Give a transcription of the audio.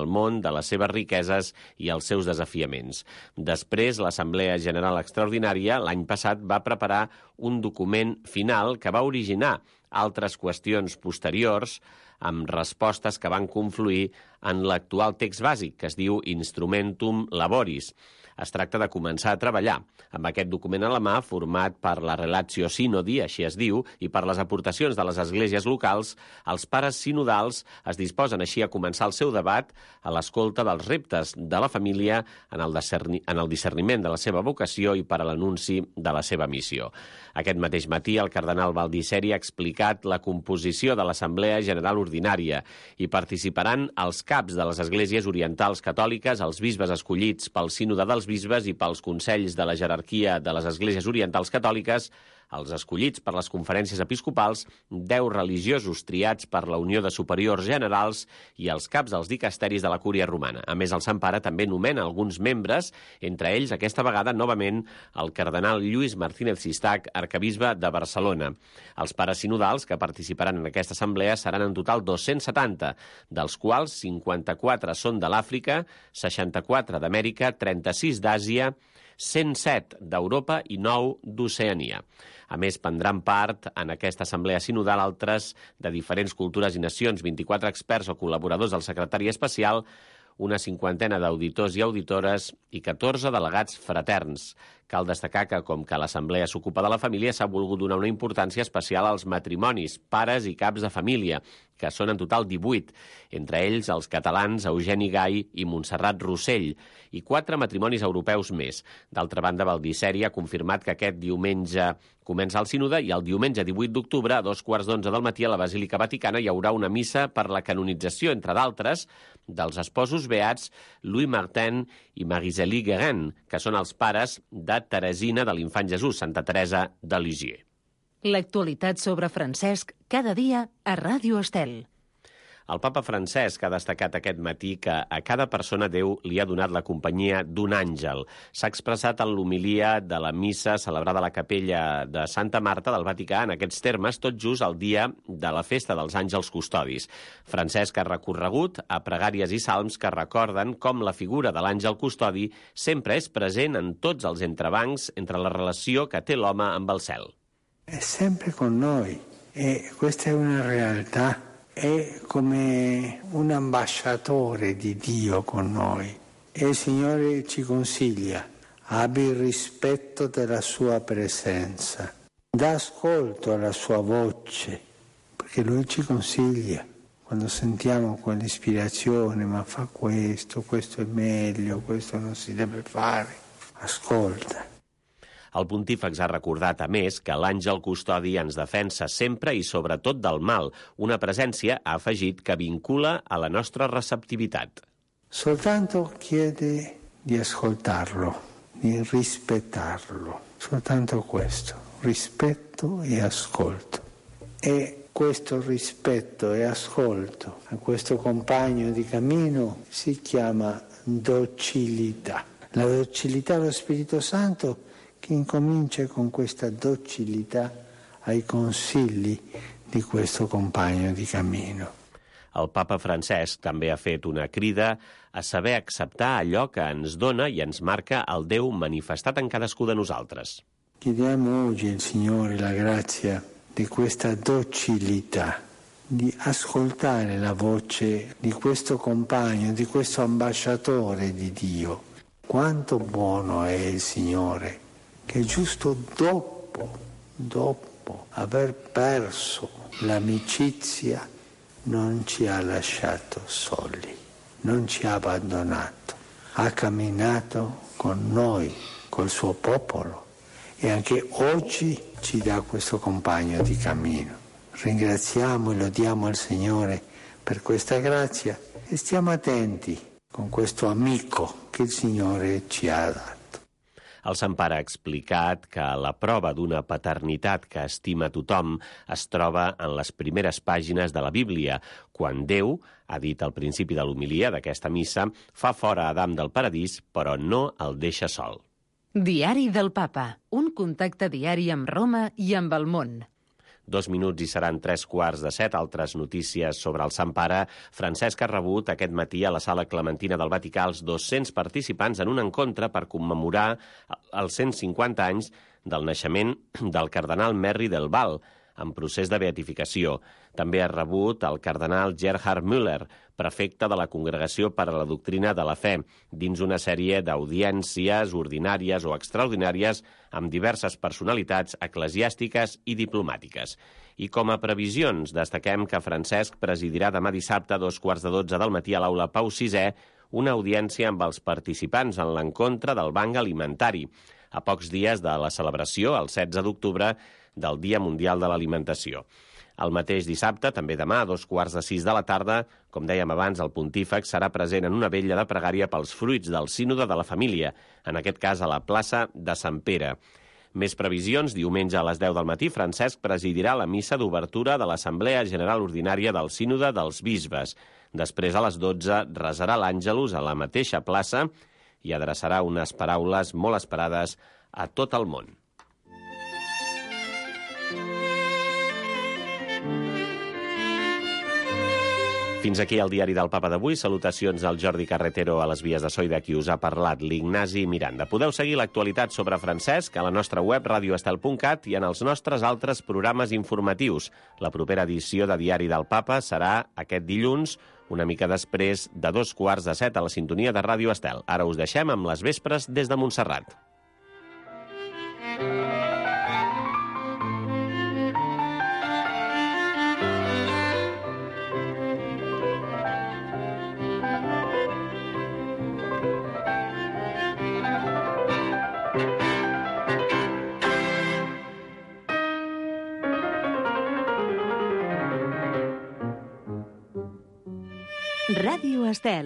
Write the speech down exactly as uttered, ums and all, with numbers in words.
del món, de les seves riqueses i els seus desafiaments. Després, l'Assemblea General Extraordinària l'any passat va preparar un document final que va originar altres qüestions posteriors amb respostes que van confluir en l'actual text bàsic, que es diu Instrumentum Laboris. Es tracta de començar a treballar amb aquest document a la mà, format per la Relatio Synodi, així es diu, i per les aportacions de les esglésies locals. Els pares sinodals es disposen així a començar el seu debat a l'escolta dels reptes de la família en el, discerni, en el discerniment de la seva vocació i per a l'anunci de la seva missió. Aquest mateix matí, el cardenal Baldisseri ha explicat la composició de l'Assemblea General Ordinària. Hi participaran els caps de les esglésies orientals catòliques, els bisbes escollits pel sínode dels bisbes i pels consells de la jerarquia de les esglésies orientals catòliques, els escollits per les conferències episcopals, deu religiosos triats per la Unió de Superiors Generals i els caps dels dicasteris de la Cúria Romana. A més, el Sant Pare també nomena alguns membres, entre ells, aquesta vegada, novament, el cardenal Lluís Martínez Sistac, arcabisbe de Barcelona. Els pares sinodals que participaran en aquesta assemblea seran en total dos-cents setanta, dels quals cinquanta-quatre són de l'Àfrica, seixanta-quatre d'Amèrica, trenta-sis d'Àsia, cent set d'Europa i nou d'Oceania. A més, prendran part en aquesta assemblea sinodal altres de diferents cultures i nacions, vint-i-quatre experts o col·laboradors del secretari especial, una cinquantena d'auditors i auditores i catorze delegats fraterns. Cal destacar que, com que l'Assemblea s'ocupa de la família, s'ha volgut donar una importància especial als matrimonis, pares i caps de família, que són en total divuit, entre ells els catalans Eugeni Gai i Montserrat Rossell, i quatre matrimonis europeus més. D'altra banda, Baldisseri ha confirmat que aquest diumenge comença el sínode i el diumenge divuit d'octubre, a dos quarts d'onze del matí, a la Basílica Vaticana hi haurà una missa per la canonització, entre d'altres, dels esposos beats Louis Martin i Marie-Zélie Guérin, que són els pares de Teresina de l'Infant Jesús, Santa Teresa de Lisieux. L'actualitat sobre Francesc cada dia a Ràdio Estel. El papa Francesc ha destacat aquest matí que a cada persona Déu li ha donat la companyia d'un àngel. S'ha expressat en l'homilia de la missa celebrada a la capella de Santa Marta del Vaticà en aquests termes, tot just el dia de la festa dels àngels custodis. Francesc ha recorregut a pregàries i salms que recorden com la figura de l'àngel custodi sempre és present en tots els entrebancs entre la relació que té l'home amb el cel. È sempre con noi e questa è una realtà. È come un ambasciatore di Dio con noi e il Signore ci consiglia: abbi il rispetto della sua presenza, dà ascolto alla sua voce, perché Lui ci consiglia. Quando sentiamo quell'ispirazione, ma fa questo, questo è meglio, questo non si deve fare, ascolta. El pontífex ha recordat, a més, que l'àngel custodi ens defensa sempre i sobretot del mal, una presència, ha afegit, que vincula a la nostra receptivitat. Soltanto chiede di ascoltarlo, di rispettarlo, soltanto questo, rispetto e ascolto. E questo rispetto e ascolto a questo compagno di cammino si chiama docilità. La docilità allo Spirito Santo che incomincia con questa docilità ai consigli di questo compagno di cammino. El papa Francesc també ha fet una crida a saber acceptar allò que ens dona i ens marca el Déu manifestat en cadascú de nosaltres. Chiediamo oggi al Signore la grazia di questa docilità, di ascoltare la voce di questo compagno, di questo ambasciatore di Dio. Quanto buono è il Signore, che giusto dopo, dopo aver perso l'amicizia non ci ha lasciato soli, non ci ha abbandonato, ha camminato con noi, col suo popolo e anche oggi ci dà questo compagno di cammino. Ringraziamo e lodiamo il Signore per questa grazia e stiamo attenti con questo amico che il Signore ci ha dato. El Sant Pare ha explicat que la prova d'una paternitat que estima tothom es troba en les primeres pàgines de la Bíblia, quan Déu, ha dit al principi de l'homilia d'aquesta missa, fa fora Adam del paradís, però no el deixa sol. Diari del Papa, un contacte diari amb Roma i amb el món. Dos minuts i seran tres quarts de set. Altres notícies sobre el Sant Pare. Francesc ha rebut aquest matí a la Sala Clementina del Vaticà els dos-cents participants en un encontre per commemorar els cent cinquanta anys del naixement del cardenal Merri del Val, en procés de beatificació. També ha rebut el cardenal Gerhard Müller, prefecte de la Congregació per a la Doctrina de la Fe, dins una sèrie d'audiències ordinàries o extraordinàries amb diverses personalitats eclesiàstiques i diplomàtiques. I com a previsions, destaquem que Francesc presidirà demà dissabte a dos quarts de dotze del matí a l'aula Pau sisè una audiència amb els participants en l'encontre del Banc Alimentari, a pocs dies de la celebració, el setze d'octubre, del Dia Mundial de l'Alimentació. El mateix dissabte, també demà, a dos quarts de sis de la tarda, com dèiem abans, el pontífex serà present en una vetlla de pregària pels fruits del sínode de la família, en aquest cas a la plaça de Sant Pere. Més previsions, diumenge a les deu del matí, Francesc presidirà la missa d'obertura de l'Assemblea General Ordinària del Sínode dels Bisbes. Després, a les dotze, resarà l'Àngelus a la mateixa plaça i adreçarà unes paraules molt esperades a tot el món. Fins aquí el diari del Papa d'avui. Salutacions al Jordi Carretero a les vies de so i de qui us ha parlat, l'Ignasi Miranda. Podeu seguir l'actualitat sobre Francesc a la nostra web radio estel punt cat i en els nostres altres programes informatius. La propera edició de Diari del Papa serà aquest dilluns, una mica després de dos quarts de set a la sintonia de Ràdio Estel. Ara us deixem amb les vespres des de Montserrat. Ràdio Estel.